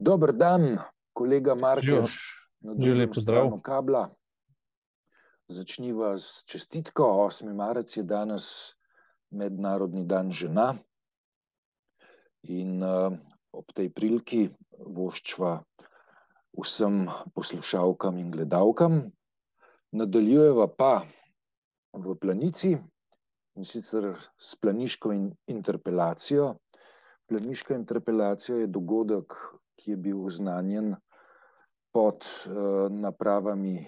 Dober dan, kolega Markeš, na Že drugem lep pozdrav. stranu kabla. Začniva s čestitko. 8. marec je danes Mednarodni dan žena in ob tej priliki voščva vsem poslušalkam in gledalkam. Nadaljujeva pa v Planici, in sicer s planiško interpelacijo. Planiška interpelacija je dogodek, ki je bil oznanjen pod napravami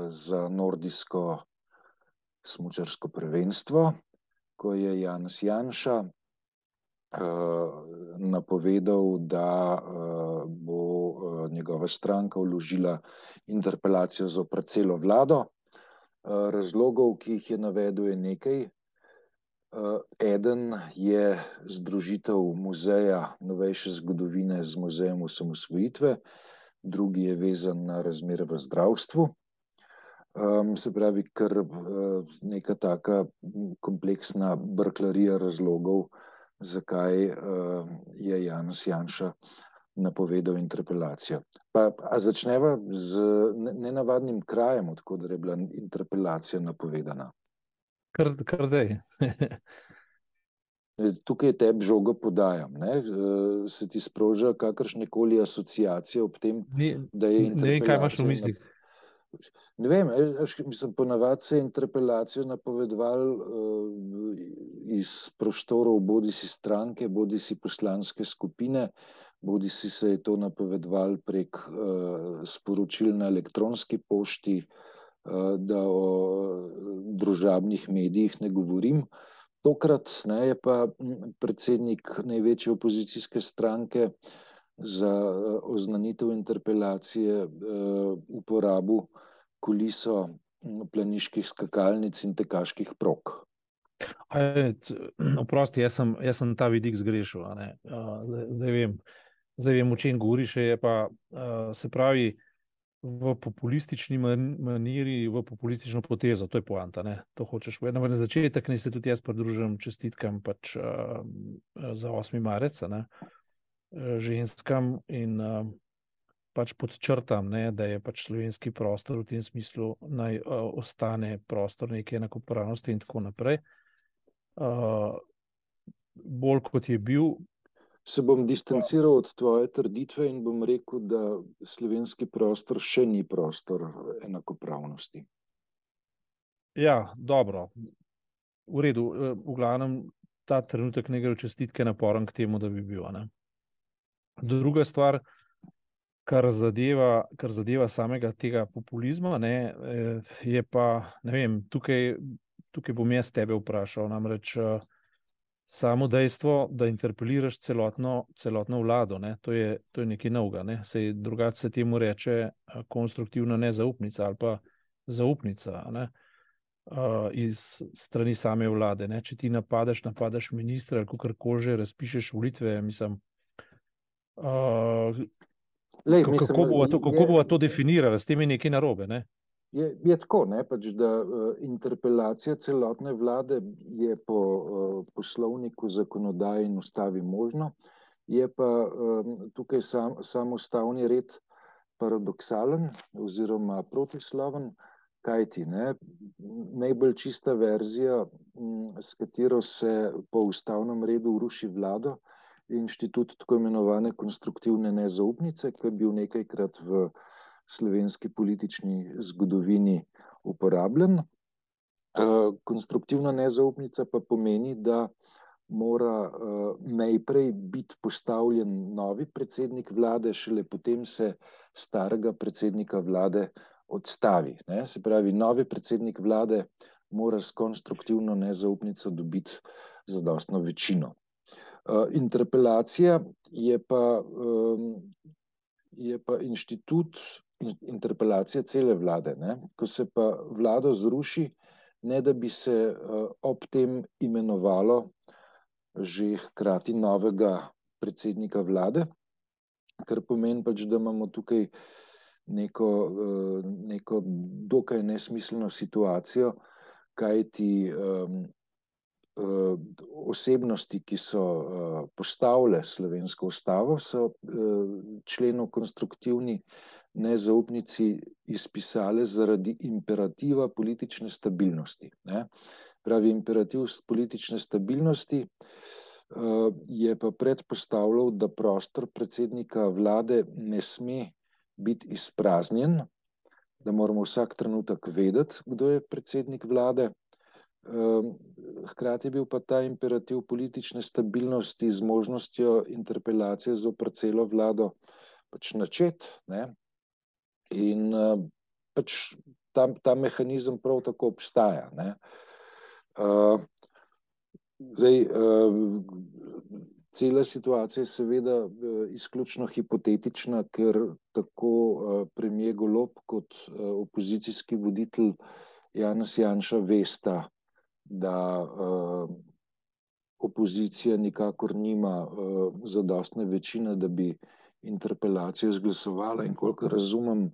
za nordijsko smučarsko prvenstvo, ko je Janez Janša napovedal, da bo njegova stranka vložila interpelacijo zoper celo vlado. Razlogov, ki jih je navedel, je nekaj. Eden je združitev muzeja novejše zgodovine z muzejem osamosvojitve, drugi je vezan na razmere v zdravstvu. Se pravi, kar neka taka kompleksna brklarija razlogov, zakaj je Janez Janša napovedal interpelacijo. A začneva z nenavadnim krajem, od koder je bila interpelacija napovedana. Kar dej. Tukaj tebi žogo podajam. Se ti sproža kakršnekoli asociacije ob tem, da je interpelacija... Ne vem, kaj imaš v mislih. Ne vem, mislim, ponavadi se je interpelacijo napovedoval iz prostorov bodi si stranke, bodi si poslanske skupine, bodi si se je to napovedoval prek sporočil na elektronski pošti, da o družabnih medijih ne govorim. Tokrat je pa predsednik največje opozicijske stranke za oznanitev interpelacije uporabil kuliso planiških skakalnic in tekaških prog. Oprosti, jaz sem ta vidik zgrešil. Zdaj vem, o čem govoriš, je pa, se pravi, v populistični maniri, v populistično potezo, to je poanta, ne? To hočeš povedati. Na začetek naj se tudi jaz pridružim čestitkam pač za 8. marec, ne? Ženskam in pač podčrtam, ne, da je pač slovenski prostor v tem smislu naj ostane prostor neke enakopravnosti in tako naprej. Bolj kot je bil. Se bom distanciral od tvoje trditve in bom rekel, da slovenski prostor še ni prostor enakopravnosti. Ja, dobro. V redu. V glavnem ta trenutek ne gre čestitke naporen k temu, da bi bil. Ne? Druga stvar, kar zadeva samega tega populizma, ne, je pa, ne vem, tukaj bom jaz tebe vprašal, namreč samo dejstvo, da interpeliraš celotno vlado, ne, to je nekaj novega, ne, saj drugače se temu reče konstruktivna nezaupnica ali pa zaupnica, ne, iz strani same vlade, ne, če ti napadaš ministra ali kakorkoli že, razpišeš volitve, mislim, kako bova to definirala, s tem je nekaj narobe, ne? Je tako, ne, pač, da interpelacija celotne vlade je po poslovniku, zakonodaji in ustavi možno, je pa tukaj sam ustavni red paradoksalen oziroma protisloven, kajti najbolj čista verzija, s katero se po ustavnem redu ruši vlado, je inštitut tako imenovane konstruktivne nezaupnice, ki je bil nekajkrat v slovenski politični zgodovini uporabljen. Konstruktivna nezaupnica pa pomeni, da mora najprej biti postavljen novi predsednik vlade, šele potem se starega predsednika vlade odstavi. Ne? Se pravi, novi predsednik vlade mora s konstruktivno nezaupnico dobiti zadostno večino. Interpelacija je pa inštitut interpelacije cele vlade. Ne? Ko se pa vlado zruši, ne da bi se ob tem imenovalo že hkrati novega predsednika vlade, kar pomeni pač, da imamo tukaj neko dokaj nesmiselno situacijo, kajti osebnosti, ki so postavile slovensko ustavo, so členov konstruktivni nezaupnici izpisale zaradi imperativa politične stabilnosti. Ne? Pravi, imperativ politične stabilnosti je pa predpostavljal, da prostor predsednika vlade ne sme biti izpraznjen, da moramo vsak trenutek vedeti, kdo je predsednik vlade. Hkrati je bil pa ta imperativ politične stabilnosti z možnostjo interpelacije zoper celo vlado pač načet, ne? In pač ta mehanizem prav tako obstaja, ne? Zdaj, cela situacija je seveda izključno hipotetična, ker tako premier Golob kot opozicijski voditelj Janez Janša vesta, da opozicija nikakor nima zadostne večine, da bi interpelacijo izglasovala, in kolikor razumem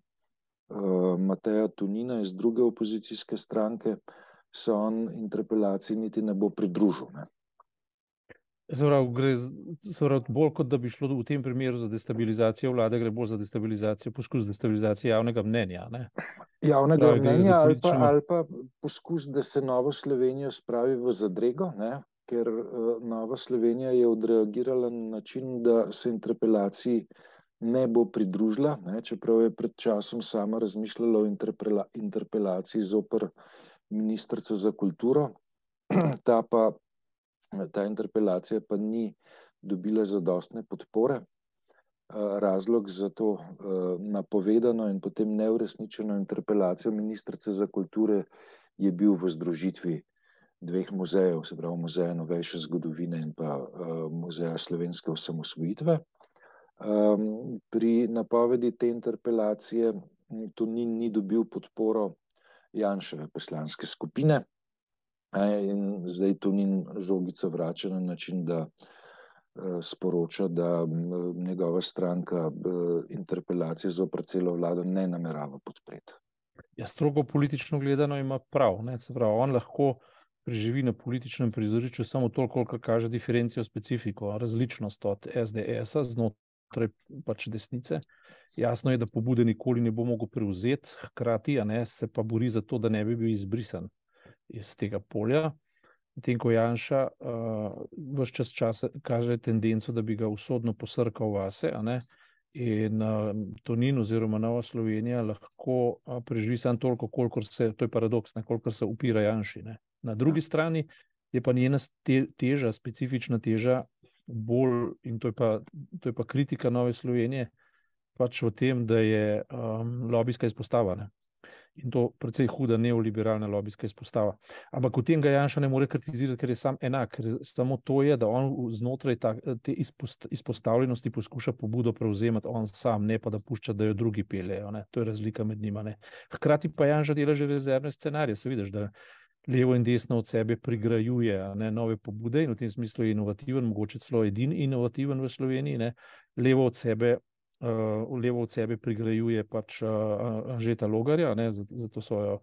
Mateja Tonina iz druge opozicijske stranke, se on interpelaciji niti ne bo pridružil. Ne? Gre bolj, kot da bi šlo v tem primeru za destabilizacijo vlade, gre bolj za destabilizacijo, poskus destabilizacije javnega mnenja. Ne? Javnega mnenja ali pa poskus, da se Novo Slovenijo spravi v zadrego, ne? Ker Nova Slovenija je odreagirala na način, da se interpelaciji ne bo pridružila, ne? Čeprav je pred časom sama razmišljala o interpelaciji zoper ministrico za kulturo. Ta interpelacija pa ni dobila zadostne podpore. Razlog za to napovedano in potem neuresničeno interpelacijo ministrice za kulture je bil v združitvi dveh muzejev, se pravi Muzeja novejše zgodovine in pa Muzeja slovenske osamosvojitve. Pri napovedi te interpelacije Tonin ni dobil podporo Janševe poslanske skupine in zdaj Tonin žogico vrača na način, da sporoča, da njegova stranka interpelacije zoper celo vlado ne namerava podpreti. Ja, strogo politično gledano ima prav, ne? Se pravi, on lahko preživi na političnem prizorišču samo toliko, kolikor kaže diferencijo specifiko, različnost od SDS-a znotraj pač desnice. Jasno je, da pobude nikoli ne bo mogel prevzeti, hkrati se pa bori za to, da ne bi bil izbrisan iz tega polja. Medtem ko Janša ves čas kaže tendenco, da bi ga usodno posrkal vase, in Tonin oziroma Nova Slovenija lahko preživi samo toliko, kolikor se, to je paradoks, kolikor se upira Janši. Na drugi strani je pa njena teža, specifična teža bolj, in to je pa kritika Nove Slovenije, pač v tem, da je lobijska izpostava. In to precej huda neoliberalna lobijska izpostava. Ampak v tem ga Janša ne more kritizirati, ker je sam enak. Ker samo to je, da on znotraj te izpostavljenosti poskuša pobudo prevzemati on sam, ne pa da pušča, da jo drugi peljejo. To je razlika med njima. Hkrati pa Janša dela že rezervne scenarije. Se vidiš, da levo in desno od sebe prigrajuje nove pobude in v tem smislu je inovativen, mogoče celo edini inovativen v Sloveniji. Levo od sebe prigrajuje pač Anžeta Logarja, za to svojo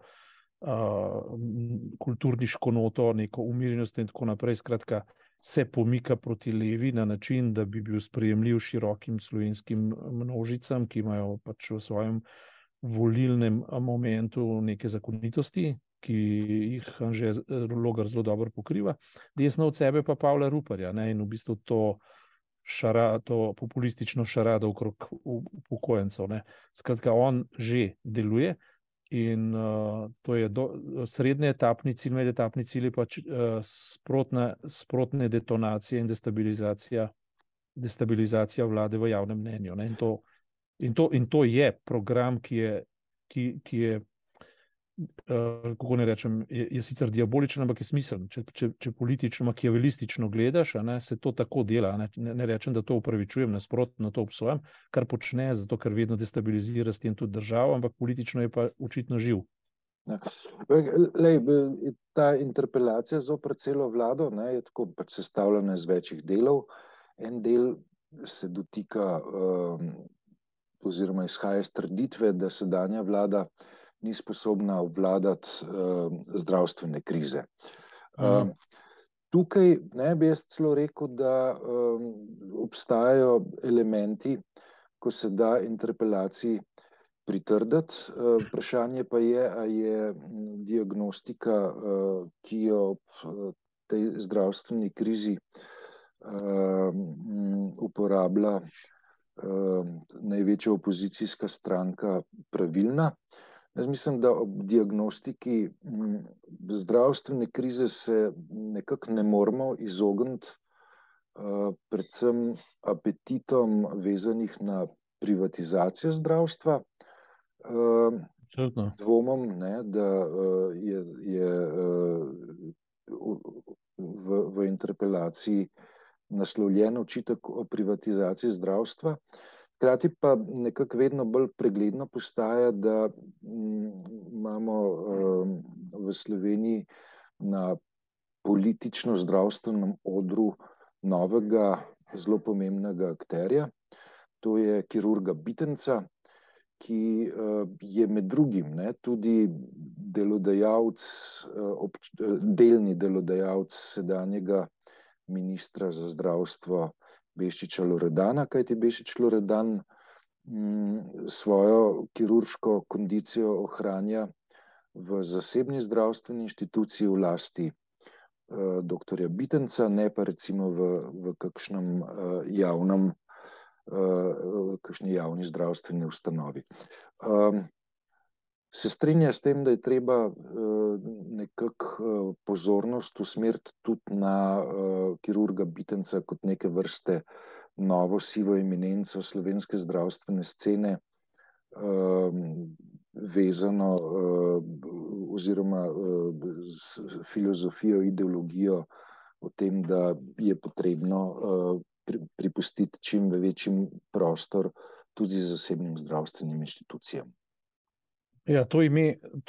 kulturniško noto, neko umirjenost in tako naprej. Skratka, se pomika proti levi na način, da bi bil sprejemljiv širokim slovenskim množicam, ki imajo pač v svojem volilnem momentu neke zakonitosti, ki jih Anže Logar zelo dobro pokriva. Desno od sebe pa Pavla Ruparja, in v bistvu to populistično šarado okrog upokojencev. Skratka, on že deluje in to je srednji etapni cilj, medetapni cilj je pač sprotne detonacije in destabilizacija vlade v javnem mnenju. In to je program, ki je kako ne rečem, je sicer diaboličen, ampak je smiseln. Če politično, makiavelistično gledaš, se to tako dela. Ne rečem, da to upravičujem, nasprotno to obsojam, kar počne, zato ker vedno destabilizira s tem tudi državo, ampak politično je pa očitno živ. Ta interpelacija zoper celo vlado je tako pač sestavljena iz večjih delov. En del se dotika oziroma izhaja iz trditve, da sedanja vlada ni sposobna obvladati zdravstvene krize. Tukaj ne bi jaz celo rekel, da obstajajo elementi, ko se da interpelaciji pritrditi. Vprašanje pa je, a je diagnostika, ki jo ob tej zdravstveni krizi uporablja največja opozicijska stranka, pravilna. Jaz mislim, da ob diagnostiki zdravstvene krize se nekako ne moremo izogniti predvsem apetitom vezanih na privatizacijo zdravstva. Dvomom, ne, da je v interpelaciji naslovljen očitek o privatizaciji zdravstva. Hkrati pa nekako vedno bolj pregledno postaja, da imamo v Sloveniji na politično-zdravstvenem odru novega, zelo pomembnega akterja. To je kirurga Bitenca, ki je med drugim tudi delodajalec, delni delodajalec sedanjega ministra za zdravstvo Bešiča Loredana, kajti Bešič Loredan svojo kirurško kondicijo ohranja v zasebni zdravstveni inštituciji v lasti doktorja Bitenca, ne pa recimo v kakšni javni zdravstveni ustanovi. Se strinja s tem, da je treba nekako pozornost usmeriti tudi na kirurga Bitenca kot neke vrste novo sivo eminenco slovenske zdravstvene scene, vezano oziroma s filozofijo, ideologijo o tem, da je potrebno pripustiti čim večji prostor tudi zasebnim zdravstvenim inštitucijam. Ja, to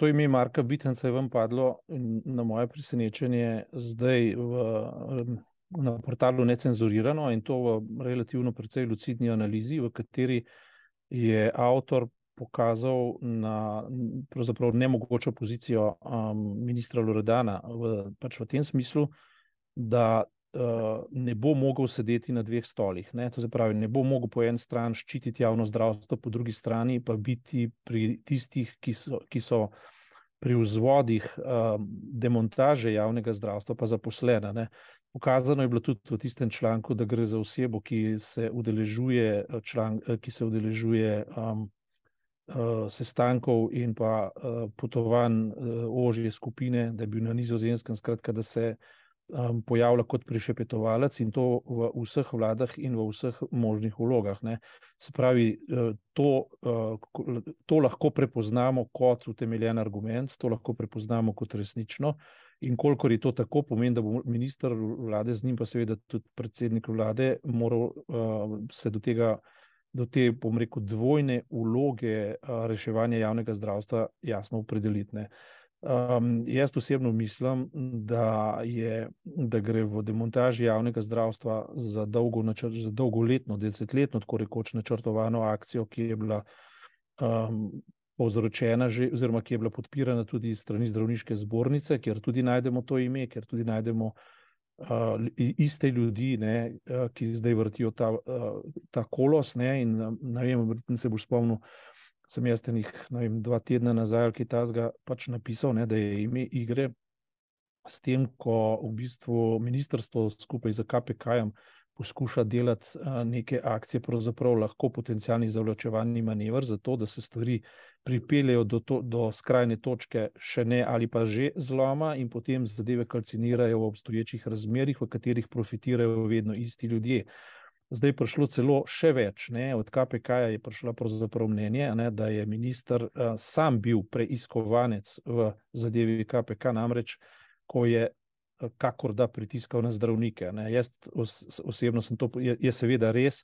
ime Marka Bitenca je vam padlo na moje presenečenje zdaj na portalu Necenzurirano, in to v relativno precej lucidni analizi, v kateri je avtor pokazal na pravzaprav nemogočo pozicijo ministra Loredana pač v tem smislu, da ne bo mogel sedeti na dveh stolih. To se pravi, ne bo mogel po eni strani ščititi javno zdravstvo, po drugi strani pa biti pri tistih, ki so pri vzvodih demontaže javnega zdravstva pa zaposlena. Ukazano je bilo tudi v tistem članku, da gre za osebo, ki se udeležuje sestankov in pa potovanj ožje skupine, da je bil na Nizozemskem, skratka, da se pojavlja kot prišepetovalec, in to v vseh vladah in v vseh možnih vlogah. Se pravi, to lahko prepoznamo kot utemeljen argument, to lahko prepoznamo kot resnično, in kolikor je to tako, pomeni, da bo minister vlade, z njim pa seveda tudi predsednik vlade, moral se do te, bom rekel, dvojne vloge reševanja javnega zdravstva jasno opredeliti. Jaz osebno mislim, da gre v demontaži javnega zdravstva za dolgoletno, desetletno, tako rekoč načrtovano akcijo, ki je bila povzročena že, oziroma ki je bila podpirana tudi strani zdravniške zbornice, kjer tudi najdemo to ime, kjer tudi najdemo iste ljudi, ki zdaj vrtijo ta kolos, in ne vem, se boš spomnil, sem jaz tenih, 2 tedna nazaj, ki tazga pač napisal, da je ime igre s tem, ko v bistvu ministrstvo skupaj z KPK-jem poskuša delati neke akcije, pravzaprav lahko potencialni zavlačevalni manever, zato da se stvari pripeljejo do skrajne točke še ne ali pa že zloma, in potem zadeve kalcinirajo v obstoječih razmerih, v katerih profitirajo vedno isti ljudje. Zdaj je prišlo celo še več. Od KPK-ja je prišlo pravzaprav mnenje, da je minister sam bil preiskovanec v zadevi KPK, namreč ko je kakor da pritiskal na zdravnike. Jaz osebno sem to, je seveda res,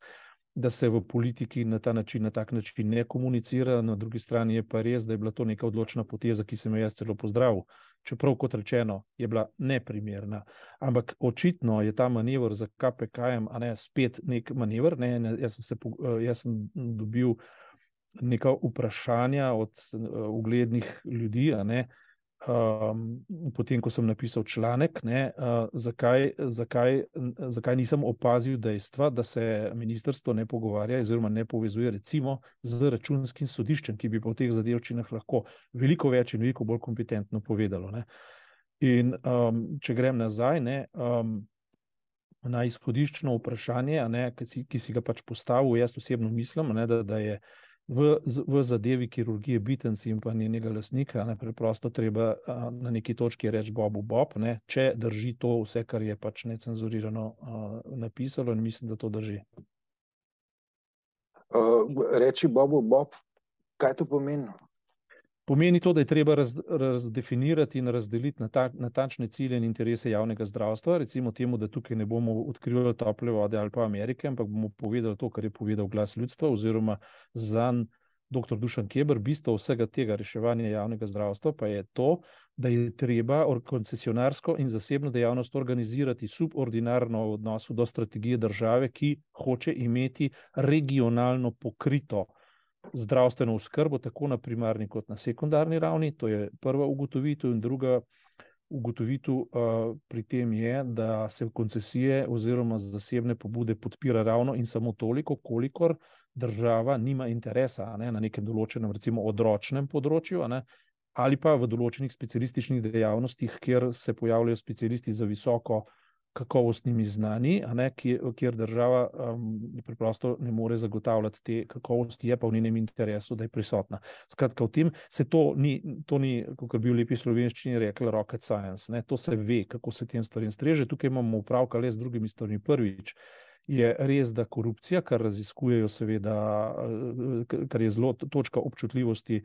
da se v politiki na tak način ne komunicira, na drugi strani je pa res, da je bila to neka odločna poteza, ki sem jo jaz celo pozdravil. Čeprav, kot rečeno, je bila neprimerna. Ampak očitno je ta manever za KPK-jem spet nek manever. Jaz sem dobil neka vprašanja od uglednih ljudi, potem, ko sem napisal članek, zakaj nisem opazil dejstva, da se ministrstvo ne pogovarja oziroma ne povezuje recimo z računskim sodiščem, ki bi po teh zadevčinah lahko veliko več in veliko bolj kompetentno povedalo. Ne. In če grem nazaj, na izhodiščno vprašanje, ki si ga pač postavil, jaz osebno mislim, da je v zadevi kirurgije Bitenci in pa njenega lastnika preprosto treba na neki točki reči Bobu Bob, če drži to vse, kar je pač necenzurirano napisalo, in mislim, da to drži. Reči Bobu Bob, kaj to pomeni? Pomeni to, da je treba razdefinirati in razdeliti natančne cilje in interese javnega zdravstva, recimo temu, da tukaj ne bomo odkrivali tople vode ali pa Amerike, ampak bomo povedali to, kar je povedal Glas ljudstva, oziroma zanj dr. Dušan Keber. Bistvo vsega tega reševanja javnega zdravstva pa je to, da je treba koncesionarsko in zasebno dejavnost organizirati subordinarno v odnosu do strategije države, ki hoče imeti regionalno pokrito zdravstveno oskrbo, tako na primarni kot na sekundarni ravni. To je prva ugotovitev. In druga ugotovitev pri tem je, da se koncesije oziroma zasebne pobude podpira ravno in samo toliko, kolikor država nima interesa na nekem določenem, recimo odročnem področju, ali pa v določenih specialističnih dejavnostih, kjer se pojavljajo specialisti za visoko kakovostnimi znani, kjer država preprosto ne more zagotavljati te kakovosti, je pa v njenem interesu, da je prisotna. Skratka, v tem se to ni, kot bi v lepi slovenščini rekli, rocket science. To se ve, kako se tem stvarem streže. Tukaj imamo upravka le z drugimi stvarmi. Prvič, je res, da korupcija, kar raziskujejo seveda, kar je zelo točka občutljivosti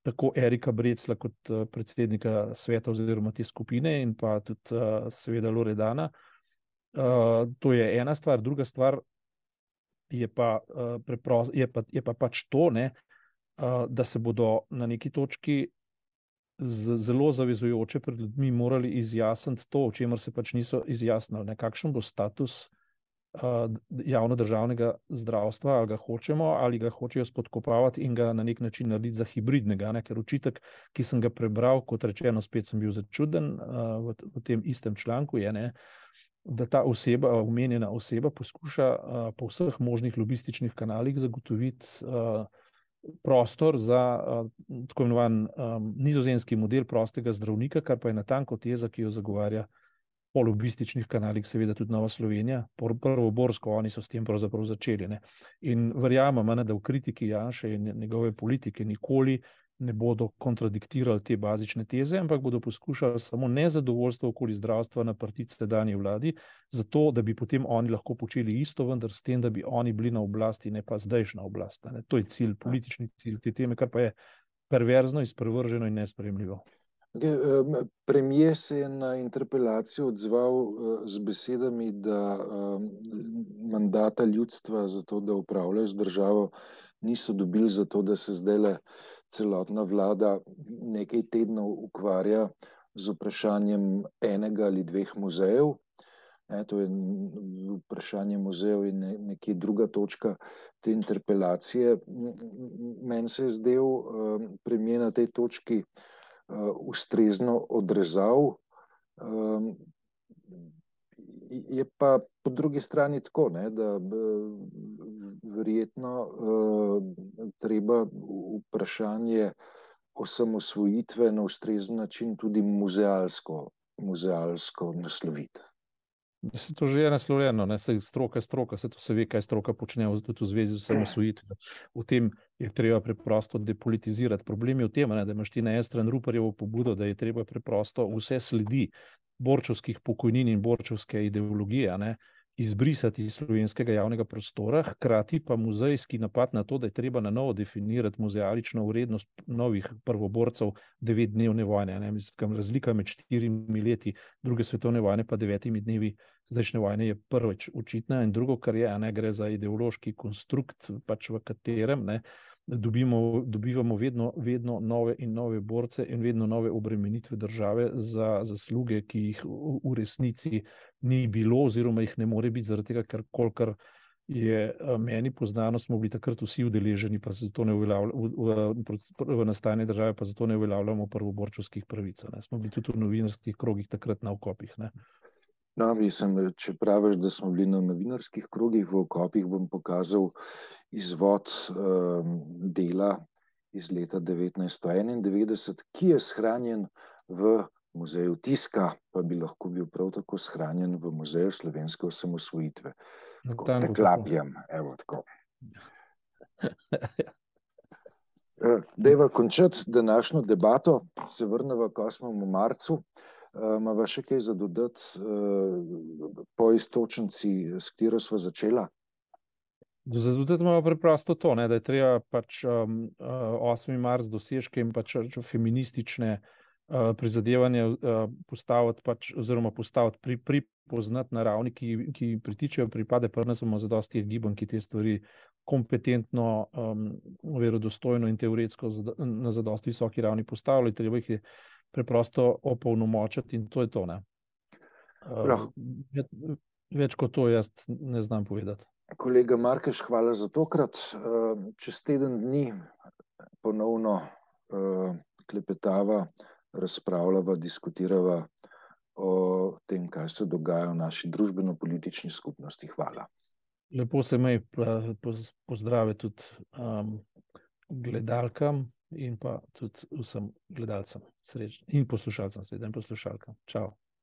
tako Erika Brecla kot predsednika sveta oziroma te skupine in pa tudi seveda Loredana. To je ena stvar. Druga stvar je pa pač to, da se bodo na neki točki zelo zavezujoče pred ljudmi morali izjasniti to, o čemer se pač niso izjasnili. Kakšen bo status javno-državnega zdravstva, ali ga hočemo, ali ga hočejo spodkopavati in ga na nek način narediti za hibridnega, ker očitek, ki sem ga prebral, kot rečeno, spet sem bil začuden v tem istem članku, je, da ta oseba, omenjena oseba, poskuša po vseh možnih lobističnih kanalih zagotoviti prostor za tako imenovan nizozemski model prostega zdravnika, kar pa je natanko teza, ki jo zagovarja po lobističnih kanalih, seveda tudi Nova Slovenija, prvoborsko, oni so s tem pravzaprav začeli. In verjamem, da v kritiki Janše in njegove politike nikoli ne bodo kontradiktirali te bazične teze, ampak bodo poskušali samo nezadovoljstvo okoli zdravstva naprtiti sedanji vladi, zato da bi potem oni lahko počeli isto, vendar s tem, da bi oni bili na oblasti, ne pa zdajšnja oblast. To je cilj, politični cilj te teme, kar pa je perverzno, izprevrženo in nesprejemljivo. Premier se je na interpelacijo odzval z besedami, da mandata ljudstva za to, da upravljajo z državo, niso dobili za to, da se zdajle celotna vlada nekaj tednov ukvarja z vprašanjem enega ali dveh muzejev. To je vprašanje muzejev in nekje druga točka te interpelacije. Meni se je zdel premier na tej točki ustrezno odrezal. Je pa po drugi strani tako, da verjetno treba vprašanje osamosvojitve na ustrezen način tudi muzealsko nasloviti. Se to že je naslovljeno, stroka, se to se ve, kaj stroka počne tudi v zvezi z osamosvojitvijo. V tem je treba preprosto depolitizirati. Problem je v tem, da imaš ti na eni strani Ruparjevo pobudo, da je treba preprosto vse sledi borčevskih pokojnin in borčevske ideologije izbrisati iz slovenskega javnega prostora, hkrati pa muzejski napad na to, da je treba na novo definirati muzealično vrednost novih prvoborcev 9-dnevne vojne. Razlika med 4 leti druge svetovne vojne pa 9 dnevi zdajšnje vojne je prvič očitna, in drugo, kar je, gre za ideološki konstrukt, pač v katerem dobivamo vedno nove in nove borce in vedno nove obremenitve države za zasluge, ki jih v resnici ni bilo oziroma jih ne more biti, zaradi tega, ker kolikor je meni poznano, smo bili takrat vsi udeleženi, pa se zato ne v nastajanju države, pa zato ne uveljavljamo prvoborčevskih pravic. Ne. Smo bili tudi v novinarskih krogih takrat na okopih. Ne. No, mislim, če praviš, da smo bili na novinarskih krogih v okopih, bom pokazal izvod dela iz leta 1991, ki je shranjen v muzeju tiska, pa bi lahko bil prav tako shranjen v muzeju slovenske osamosvojitve. Tako, preklapljam, evo tako. Dejva končati današnjo debato, se vrneva k 8. marcu. Imava še kaj za dodati po istočnici, s katero sva začela? Za dodati imamo preprosto to, ne, da je treba pač 8. marc dosežke in pač feministične prizadevanja postaviti pač, oziroma postaviti pripoznati na ravni, ki pritičejo pripade, pa nas bomo zadosti gibanj, ki te stvari kompetentno, verodostojno in teoretsko na zadosti visoki ravni postavili, treba jih je preprosto opolnomočiti in to je to. Ne. Več kot to jaz ne znam povedati. Kolega Markeš, hvala za tokrat. Čez teden dni ponovno klepetava, razpravljava, diskutirava o tem, kaj se dogaja v naši družbeno-politični skupnosti. Hvala. Lepo se me pozdrave tudi gledalkam in pa tudi vsem gledalcem in poslušalcem, seveda in poslušalkam. Čau.